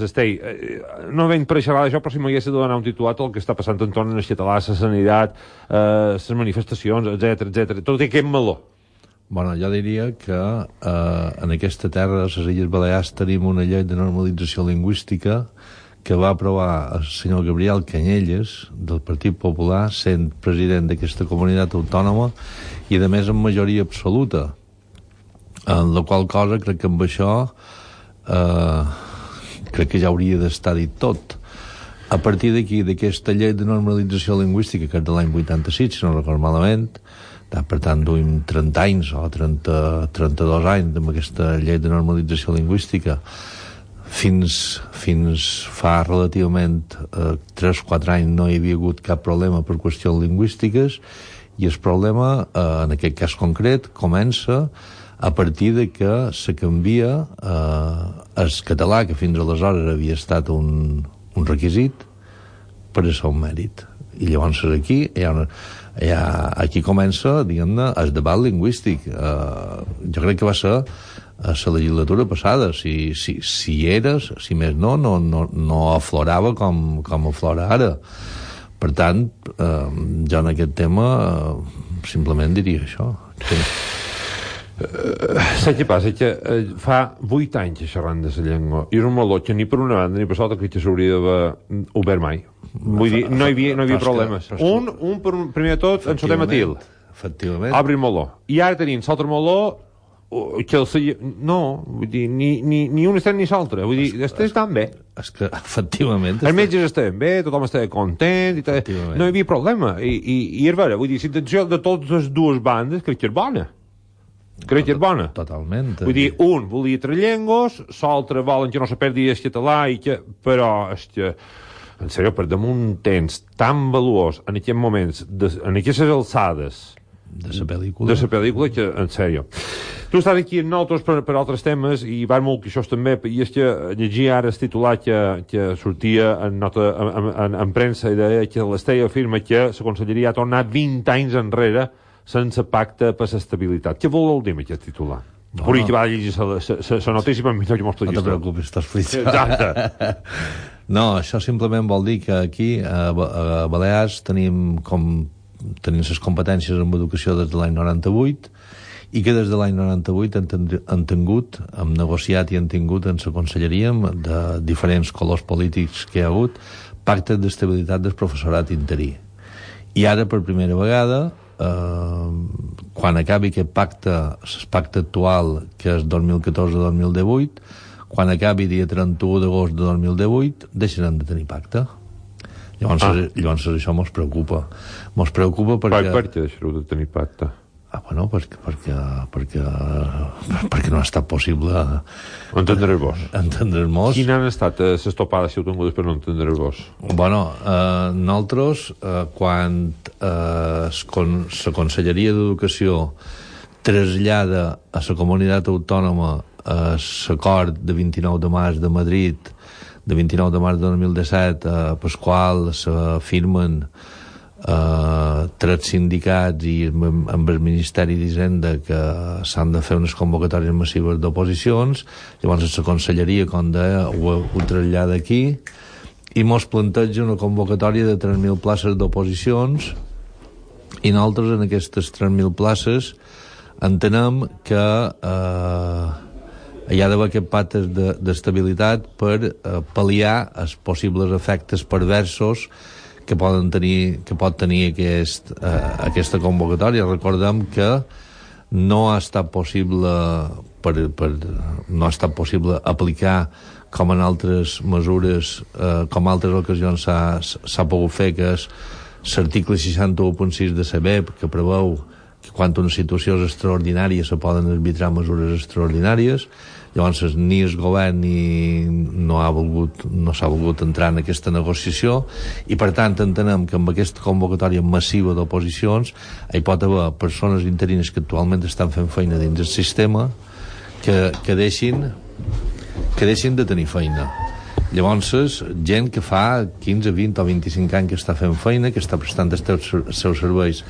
Estei, no venc per xerrar d'això, però si m'hagués de donar un titulat el que està passant entorn al català, la sanitat, les manifestacions, etc. Tot aquest meló. Bueno, jo diria que en aquesta terra, a les Illes Balears, tenim una llei de normalització lingüística que va aprovar el senyor Gabriel Canyelles, del Partit Popular, sent president d'aquesta comunitat autònoma, i a més amb majoria absoluta. En la qual cosa crec que amb això crec que ja hauria d'estar dit tot. A partir d'aquí, d'aquesta llei de normalització lingüística, que és de l'any 86, si no recordo malament, per tant duim 30 anys o 32 anys amb aquesta llei de normalització lingüística, fins fa relativament 3-4 anys no hi havia hagut cap problema per qüestions lingüístiques, i el problema, en aquest cas concret, comença a partir de que se canvia el català, que fins aleshores havia estat un requisit, per a ser un mèrit. I llavors aquí aquí comença, diguem-ne, el debat lingüístic. Jo crec que va ser a la legislatura passada. Si eres, si més no aflorava com aflora ara. Per tant, jo en aquest tema simplement diria això. Saps què passa? Que fa 8 anys xerrant de la llengua, i és un meló que ni per una banda ni per l'altra que s'hauria d'haver obert mai. Vull dir, no hi havia problemes. Primer de tot, en el tema til. Efectivament. Obre el meló. I ara tenim l'altre meló que no, vull dir, ni un estem ni l'altre. Vull dir, estan bé. És que, efectivament... Els metges estaven bé, tothom estava content, no hi havia problema. I és vera, vull dir, l'intenció de totes les dues bandes crec que és bona. Crec que és bona. Totalment. Vull dir, un volia 3 llengües, l'altre volen que no se perdi el català, però és que, en sèrio, per damunt un temps tan valuós en aquests moments, en aquestes alçades de la pel·lícula, que, en sèrio. Tu estàs aquí amb nosaltres per altres temes, i va molt que això també, i és que llegia ara el titular que sortia en premsa, i deia que l'Estella afirma que la Conselleria ha tornat 20 anys enrere sense pacte per l'estabilitat. Què vol dir amb aquest titular? Puri que va llegir la notícia, però millor que m'ho no te preocupis, estàs frit. Exacte. No, això simplement vol dir que aquí a Balears tenim les competències en educació des de l'any 98, i que des de l'any 98 hem negociat i hem tingut en la conselleria de diferents colors polítics que hi ha hagut pactes d'estabilitat del professorat interí. I ara, per primera vegada, quan acabi aquest pacte, el pacte actual, que és 2014-2018, quan acabi dia 31 d'agost de 2018, deixarem de tenir pacte. Llavors això mos preocupa. Mos preocupa perquè... Per què deixareu de tenir pacte? Bueno, perquè no ha estat possible entendre-vos. Quines han estat les topades si ho tingudes per no entendre-vos? Bueno, nosaltres, quan la Conselleria d'Educació trasllada a la comunitat autònoma l'acord de 29 de març de Madrid, de 29 de març de 2017, per qual s'afirmen 3 sindicats i amb el Ministeri d'Hisenda que s'han de fer unes convocatòries massives d'oposicions. Llavors la Conselleria, com deia, ho trasllada aquí i mos planteja una convocatòria de 3.000 places d'oposicions, i nosaltres en aquestes 3.000 places entenem que hi ha d'haver aquest pacte d'estabilitat per pal·liar els possibles efectes perversos que pot tenir aquesta convocatòria. Recordem que no ha estat possible aplicar com en altres mesures, com en altres ocasions s'ha pogut fer, que és l'article 61.6 de CBEP, que preveu que quan una situació és extraordinària se poden arbitrar mesures extraordinàries. Llavors ni el govern no s'ha volgut entrar en aquesta negociació, i per tant entenem que amb aquesta convocatòria massiva d'oposicions hi pot haver persones interines que actualment estan fent feina dins el sistema que deixin de tenir feina. Llavors, gent que fa 15, 20 o 25 anys que està fent feina, que està prestant els seus serveis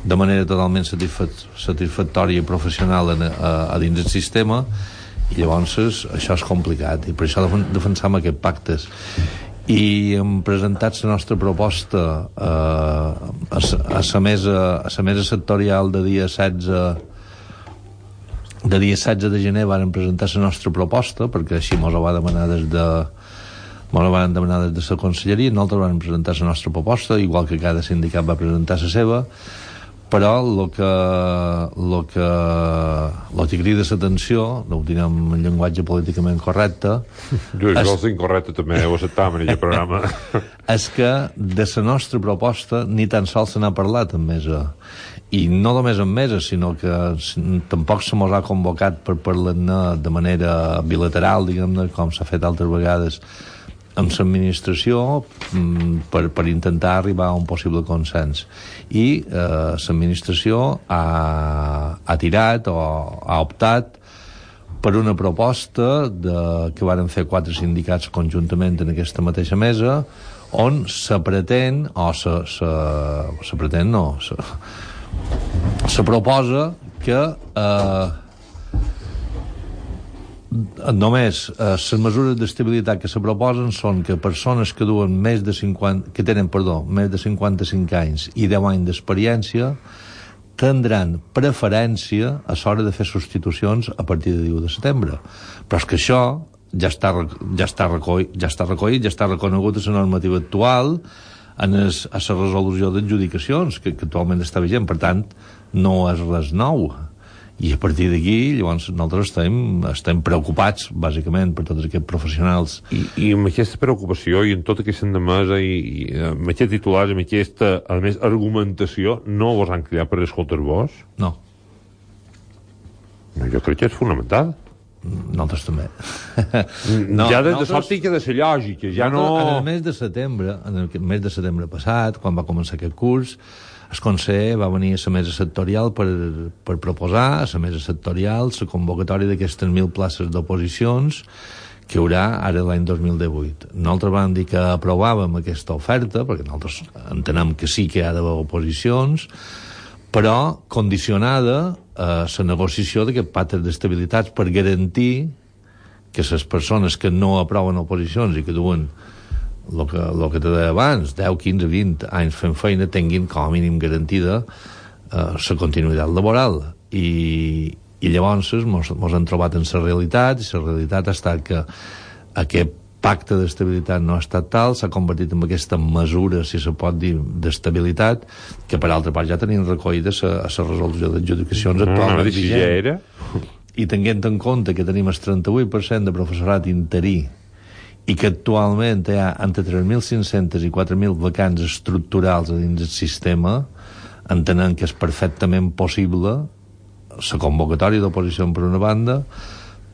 de manera totalment satisfactòria i professional a dins del sistema, I llavors això és complicat, i per això defensam aquests pactes. I hem presentat la nostra proposta a la mesa sectorial de dia 16 de gener varen presentar la nostra proposta, perquè així mos ho va demanar des de la conselleria. Nosaltres vam presentar la nostra proposta, igual que cada sindicat va presentar la seva, però el que crida l'atenció, no ho direm en llenguatge políticament correcte, jo és incorrecte també, ho acceptam en aquest programa, és que de la nostra proposta ni tan sols se n'ha parlat en mesa, i no només en mesa, sinó que tampoc se mos ha convocat per parlar-ne de manera bilateral, diguem-ne, com s'ha fet altres vegades amb l'administració, per intentar arribar a un possible consens. I l'administració ha tirat o ha optat per una proposta que varen fer 4 sindicats conjuntament en aquesta mateixa mesa, on se proposa que només les mesures d'estabilitat que se proposen són que persones que duen més de 55 anys i 10 anys d'experiència tindran preferència a l'hora de fer substitucions a partir de 1 de setembre. Però és que això ja està recollit, ja està reconegut a la normativa actual, a la resolució d'adjudicacions que actualment està vigent. Per tant, no és res nou. I a partir d'aquí, llavors, nosaltres estem preocupats, bàsicament, per tots aquests professionals. I amb aquesta preocupació i en tota aquesta endemesa i amb aquest titular, amb aquesta, a més, argumentació, no vos han cridat per escoltar-vos? No. Jo crec que és fonamental. Nosaltres també. Ja des de l'òptica de la lògica, ja no... En el mes de setembre passat, quan va començar aquest curs, el Conseller va venir a la mesa sectorial per proposar a la mesa sectorial la convocatòria d'aquestes 1.000 places d'oposicions que hi haurà ara l'any 2018. Nosaltres vam dir que aprovàvem aquesta oferta, perquè nosaltres entenem que sí que hi ha d'haver oposicions, però condicionada a la negociació d'aquest pacte d'estabilitat per garantir que les persones que no aproven oposicions i que duen el que te deia abans, 10, 15, 20 anys fent feina, tinguin com a mínim garantida la continuïtat laboral. I llavors mos han trobat en la realitat, i la realitat ha estat que aquest pacte d'estabilitat no ha estat tal, s'ha convertit en aquesta mesura, si se pot dir, d'estabilitat, que per altra part ja tenim recollida a la resolució d'adjudicacions actualment vigent. I tenint en compte que tenim el 38% de professorat interí i que actualment hi ha entre 3.500 i 4.000 vacants estructurals a dins del sistema, entenent que és perfectament possible la convocatòria d'oposició per una banda,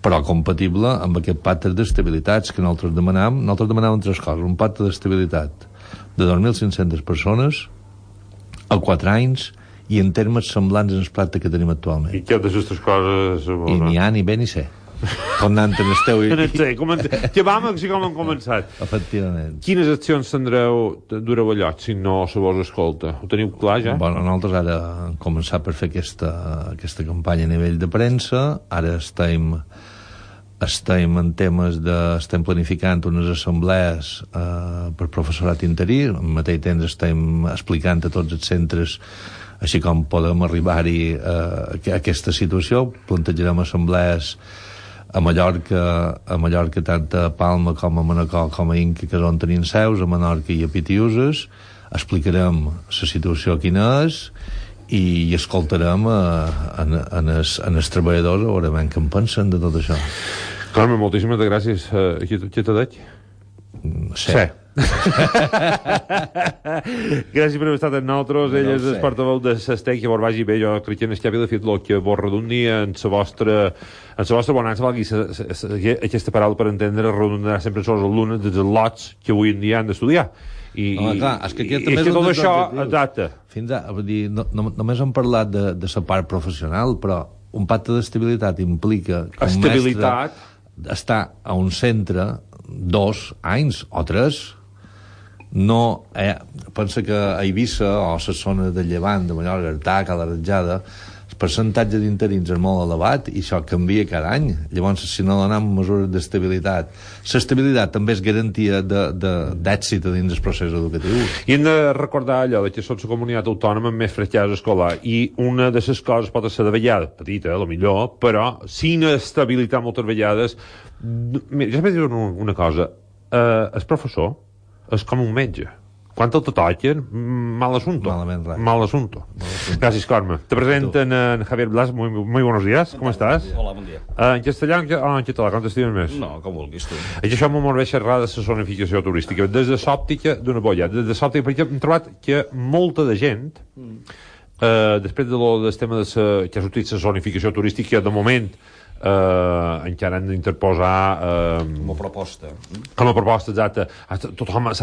però compatible amb aquest pacte d'estabilitats que nosaltres demanàvem. Nosaltres demanàvem 3 coses: un pacte d'estabilitat de 2.500 persones a 4 anys i en termes semblants en el pacte que tenim actualment. I què d'aquestes coses... I n'hi ha ni bé ni sé. Tornant en el teu... Que vam així com hem començat. Efectivament. Quines accions dureu allò si no se vos escolta? Ho teniu clar ja? Bueno, nosaltres ara hem començat per fer aquesta campanya a nivell de premsa. Ara estem en temes estem planificant unes assemblees per professorat interí. Al mateix temps estem explicant a tots els centres així com podem arribar-hi a aquesta situació. Plantejarem assemblees a Mallorca, tant a Palma com a Manacor com a Inca, que és on tenim seus, a Menorca i a Pitiuses. Explicarem la situació quina és i escoltarem els treballadors a veure què en pensen de tot això. Carme, moltíssimes gràcies. Què t'ha dit? Sí. Gràcies per haver estat amb nosaltres. Ell és el portaveu de SESTEC, que vos vagi bé. Jo crec que en el de fet el que vos redundi en la vostra bonança, valgui aquesta paraula per entendre, redundarà sempre en els alumnes dels lots que avui en dia han d'estudiar. Clar, és que aquest també és tot això, exacte. Només hem parlat de la part professional, però un pacte d'estabilitat implica que un mestre està a un centre 2 anys o 3. No, pensa que a Eivissa o a la zona de Llevant, de Mallorca, Artà, Cala Ratjada, el percentatge d'interins és molt elevat i això canvia cada any. Llavors, si no donem mesures d'estabilitat, l'estabilitat també és garantia d'èxit dins del procés educatiu. I hem de recordar allò que som la comunitat autònoma amb més fracàs escolar, i una de les coses pot ser de vegada, petita, a lo millor, però sin estabilitat moltes vegades. Mira, jo sempre dic una cosa, el professor és com un metge. Quan te toquen, mal asunto. Mal asunto. Gracias, Carme. Te presenten en Javier Blas. Muy buenos días. ¿Cómo estás? Hola, bon dia. En castellà o en català? Com t'estimes més? No, com vulguis tu. Això m'ho molt bé xerrar de la zonificació turística. Des de l'òptica d'una bolla. Des de l'òptica, perquè hem trobat que molta de gent, després del tema que ha sortit la zonificació turística, de moment, encara han d'interposar com a proposta. Com a proposta, exacte. Tothom ha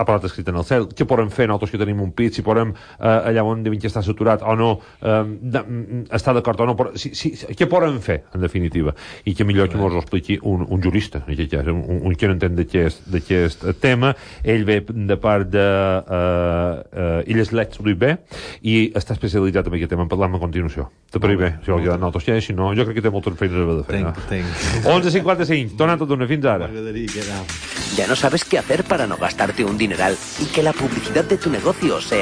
parlat escrit en el cel. Què podem fer nosaltres que tenim un pit? Si podem allà on devem estar saturat o no, estar d'acord o no. Què podem fer, en definitiva? I que millor que ens ho expliqui un jurista, un que no entén d'aquest tema. Ell ve de part de Illes Let's bé i està especialitzat en aquest tema. En parlem a continuació. Te pareix bé? Si vol quedar nosaltres ja, si no, jo crec que té moltes feines a fer. 11:55, torna tot d'una, fins ara. Ya no sabes qué hacer para no gastarte un dineral y que la publicidad de tu negocio sea